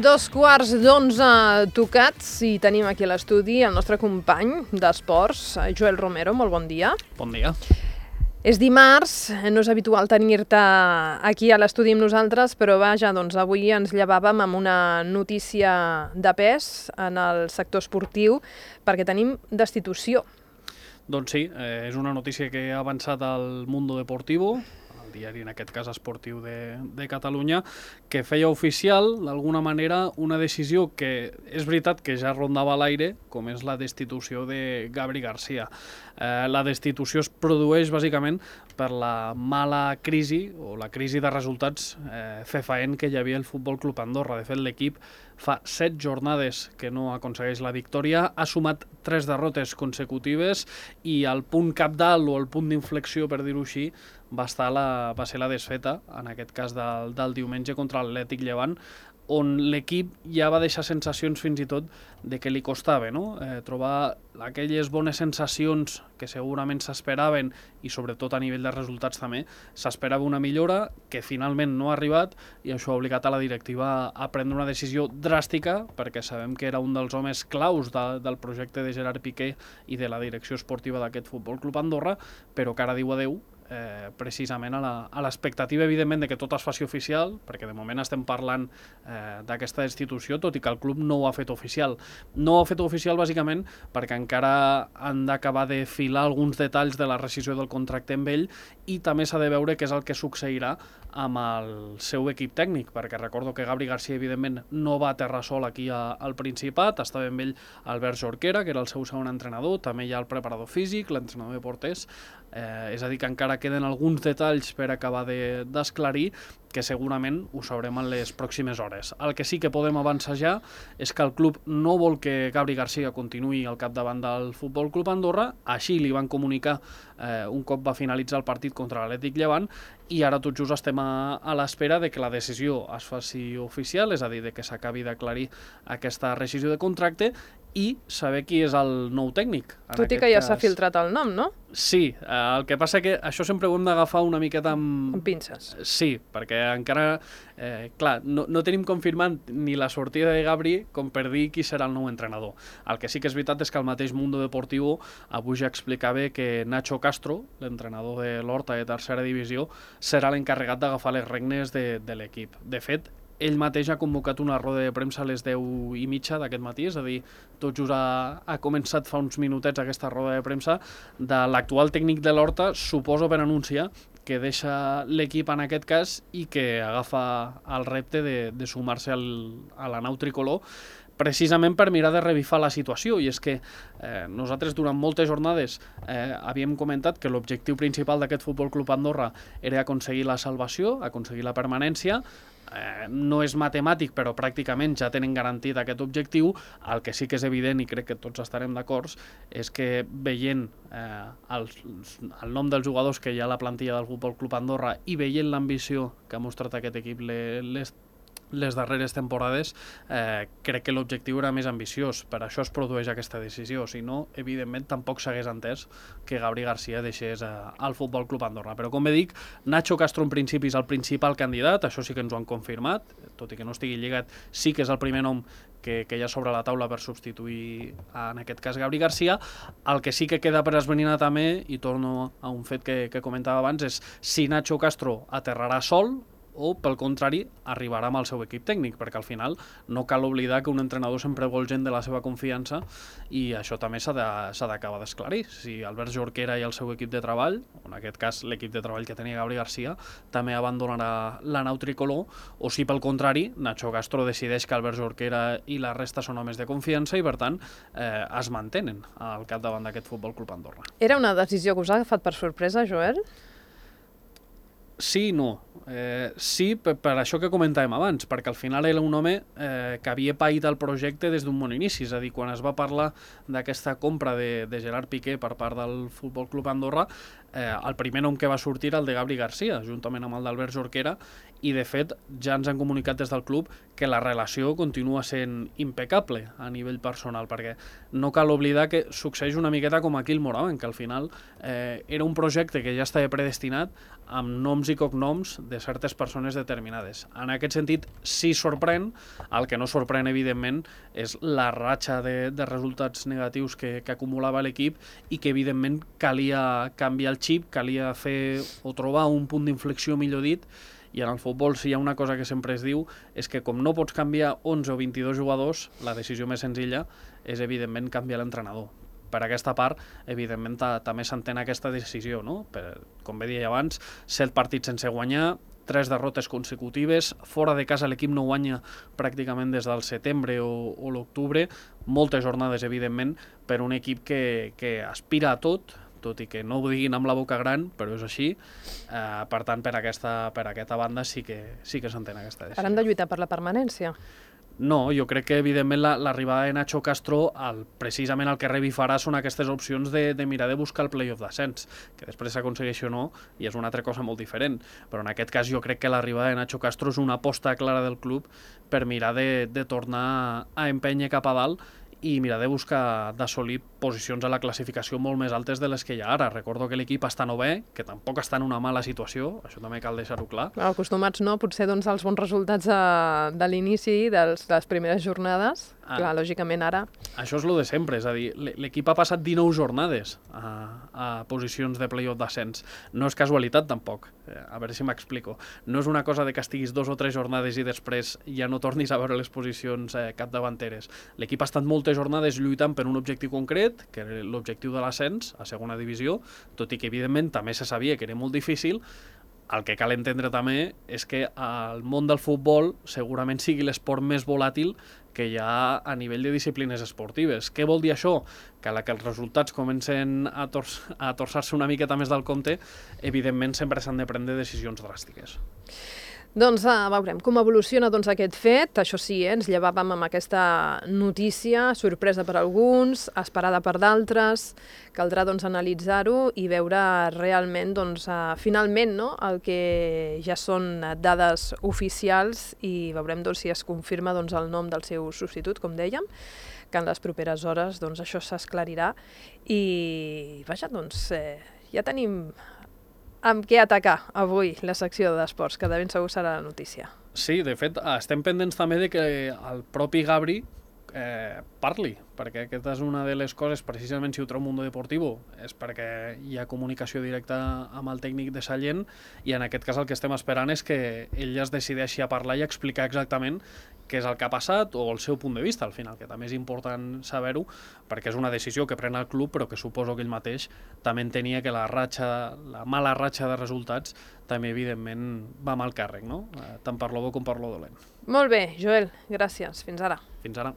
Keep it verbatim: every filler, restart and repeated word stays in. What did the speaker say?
Dos quarts d'onze tocats i tenim aquí a l'estudi el nostre company d'esports, Joel Romero. Molt bon dia. Bon dia. És dimarts, no és habitual tenir-te aquí a l'estudi amb nosaltres, però vaja, doncs avui ens llevàvem amb una notícia de pes en el sector esportiu perquè tenim destitució. Doncs sí, eh, és una notícia que ha avançat al Mundo Deportivo, diari, en aquest cas esportiu de, de Catalunya, que feia oficial, d'alguna manera, una decisió que és veritat que ja rondava a l'aire, com és la destitució de Gabri Garcia. Eh, la destitució es produeix, bàsicament, per la mala crisi, o la crisi de resultats eh, fefaent que hi havia el Futbol Club Andorra. De fet, l'equip fa set jornades que no aconsegueix la victòria, ha sumat tres derrotes consecutives i el punt cabdal o el punt d'inflexió, per dir-ho així, va, estar la, va ser la desfeta, en aquest cas del, del diumenge contra l'Atlètic Llevant, on l'equip ja va deixar sensacions fins i tot de que li costava, no? eh, trobar aquelles bones sensacions que segurament s'esperaven i sobretot a nivell de resultats també, s'esperava una millora que finalment no ha arribat i això ha obligat a la directiva a prendre una decisió dràstica perquè sabem que era un dels homes claus de, del projecte de Gerard Piqué i de la direcció esportiva d'aquest Futbol Club Andorra, però que ara diu adeu Eh, precisament a l'expectativa, evidentment, de que tot es faci oficial, perquè de moment estem parlant eh, d'aquesta destitució, tot i que el club no ho ha fet oficial. No ho ha fet oficial, bàsicament, perquè encara han d'acabar de filar alguns detalls de la rescissió del contracte amb ell i també s'ha de veure què és el que succeirà amb el seu equip tècnic, perquè recordo que Gabri Garcia, evidentment, no va aterrar sol aquí a, al Principat, estava amb ell Albert Jorquera, que era el seu segon entrenador, també hi ha el preparador físic, l'entrenador de porters, eh, és a dir, que encara queden alguns detalls per acabar d'esclarir, de, que segurament ho sabrem en les pròximes hores. El que sí que podem avançar ja és que el club no vol que Gabri Garcia continuï al capdavant del Futbol Club Andorra, així li van comunicar eh, un cop va finalitzar el partit contra l'Atlètic Llevant, i ara tot just estem a, a l'espera de que la decisió es faci oficial, és a dir, de que s'acabi d'aclarir aquesta rescissió de contracte i saber qui és el nou tècnic. Tot i que ja s'ha filtrat el nom, no? Sí, eh, el que passa que això sempre ho hem d'agafar una miqueta amb... Amb pinces. Sí, perquè encara, eh, clar, no, no tenim confirmat ni la sortida de Gabri com per dir qui serà el nou entrenador. El que sí que és veritat és que el mateix Mundo Deportivo avui ja explicava que Nacho Castro, l'entrenador de l'Horta de tercera divisió, serà l'encarregat d'agafar les regnes de, de l'equip. De fet, ell mateix ha convocat una roda de premsa a les deu i mitja d'aquest matí, és a dir, tot just ha, ha començat fa uns minutets aquesta roda de premsa de l'actual tècnic de l'Horta, suposo per anunciar que deixa l'equip en aquest cas i que agafa el repte de, de sumar-se al, a la nau tricolor, precisament per mirar de revifar la situació, i és que eh, nosaltres durant moltes jornades eh, havíem comentat que l'objectiu principal d'aquest Futbol Club Andorra era aconseguir la salvació, aconseguir la permanència. Eh, no és matemàtic, però pràcticament ja tenen garantit aquest objectiu. El que sí que és evident, i crec que tots estarem d'acord, és que veient eh, el, el nom dels jugadors que hi ha a la plantilla del Futbol Club Andorra i veient l'ambició que ha mostrat aquest equip les les darreres temporades, eh, crec que l'objectiu era més ambiciós. Per això es produeix aquesta decisió. Si no, evidentment, tampoc s'hagués entès que Gabri Garcia deixés eh, al Futbol Club Andorra. Però, com bé dic, Nacho Castro en principi és el principal candidat, això sí que ens ho han confirmat, tot i que no estigui lligat, sí que és el primer nom que, que hi ha sobre la taula per substituir, en aquest cas, Gabri Garcia. El que sí que queda per esbrinar també, i torno a un fet que, que comentava abans, és si Nacho Castro aterrarà sol o, pel contrari, arribarà amb el seu equip tècnic, perquè al final no cal oblidar que un entrenador sempre vol gent de la seva confiança i això també s'ha d'acabar de, d'esclarir. Si Albert Jorquera i el seu equip de treball, en aquest cas l'equip de treball que tenia Gabri Garcia, també abandonarà la nau tricolor, o si pel contrari Nacho Castro decideix que Albert Jorquera i la resta són homes de confiança i per tant eh, es mantenen al capdavant d'aquest Futbol Club Andorra. Era una decisió que us ha agafat per sorpresa, Joel? Sí i no. Eh, sí, per, per això que comentàvem abans, perquè al final era un home eh, que havia paït el projecte des d'un bon inici, és a dir, quan es va parlar d'aquesta compra de, de Gerard Piqué per part del Futbol Club Andorra, eh, el primer nom que va sortir era el de Gabri Garcia, juntament amb el d'Albert Jorquera, i de fet ja ens han comunicat des del club que la relació continua sent impecable a nivell personal, perquè no cal oblidar que succeeix una miqueta com aquí el Moraven, que al final eh, era un projecte que ja estava predestinat amb noms i cognoms de certes persones determinades. En aquest sentit, sí sorprèn, el que no sorprèn, evidentment, és la ratxa de, de resultats negatius que, que acumulava l'equip i que, evidentment, calia canviar el xip, calia fer o trobar un punt d'inflexió, millor dit, i en el futbol, si hi ha una cosa que sempre es diu, és que com no pots canviar onze o vint-i-dos jugadors, la decisió més senzilla és, evidentment, canviar l'entrenador. Per aquesta part, evidentment, també s'entén aquesta decisió, no? Per, com bé deia abans, set partits sense guanyar, tres derrotes consecutives, fora de casa l'equip no guanya pràcticament des del setembre o, o l'octubre, moltes jornades, evidentment, per un equip que, que aspira a tot, tot i que no ho diguin amb la boca gran, però és així. Eh, per tant, per aquesta, per aquesta banda sí que, sí que s'entén aquesta decisió. Ara han de lluitar per la permanència? No, jo crec que, evidentment, l'arribada de Nacho Castro, el, precisament el que revifarà són aquestes opcions de, de mirar de buscar el play-off d'ascens, que després s'aconsegueixi o no, i és una altra cosa molt diferent. Però en aquest cas jo crec que l'arribada de Nacho Castro és una aposta clara del club per mirar de, de tornar a empènyer cap a dalt i mirar de buscar d'assolir posicions a la classificació molt més altes de les que hi ha ara. Recordo que l'equip està novè, que tampoc està en una mala situació, això també cal deixar-ho clar. Clar, acostumats no, potser doncs, als bons resultats de, de l'inici de les primeres jornades. Ah. Clar, lògicament ara... Això és el de sempre, és a dir, l'equip ha passat dinou jornades a, a posicions de play-off d'ascens. No és casualitat, tampoc. A veure si m'explico. No és una cosa de que estiguis dos o tres jornades i després ja no tornis a veure les posicions eh, capdavanteres. L'equip ha estat moltes jornades lluitant per un objectiu concret, que era l'objectiu de l'ascens a segona divisió, tot i que, evidentment, també se sabia que era molt difícil. El que cal entendre també és que el món del futbol segurament sigui l'esport més volàtil que hi ha a nivell de disciplines esportives. Què vol dir això? Que a la que els resultats comencen a, tors a torçar-se una miqueta més del compte, evidentment sempre s'han de prendre decisions dràstiques. Doncs uh, veurem com evoluciona doncs, aquest fet. Això sí, eh, ens llevàvem amb aquesta notícia, sorpresa per alguns, esperada per d'altres. Caldrà doncs, analitzar-ho i veure realment, doncs, uh, finalment, no? El que ja són dades oficials i veurem doncs, si es confirma doncs, el nom del seu substitut, com dèiem, que en les properes hores doncs, això s'esclarirà. I vaja, doncs, eh, ja tenim amb què atacar avui la secció d'esports, que de ben segur serà la notícia. Sí, de fet, estem pendents també de que el propi Gabri eh, parli, perquè aquesta és una de les coses, precisament si ho treu Mundo Deportivo, és perquè hi ha comunicació directa amb el tècnic de Sallent i en aquest cas el que estem esperant és que ell es decideixi a parlar i explicar exactament què és el que ha passat o el seu punt de vista, al final, que també és important saber-ho, perquè és una decisió que pren el club, però que suposo que ell mateix també entenia que la ratxa, la mala ratxa de resultats també, evidentment, va amb el càrrec, no? Tant per lo bo com per lo dolent. Molt bé, Joel, gràcies. Fins ara. Fins ara.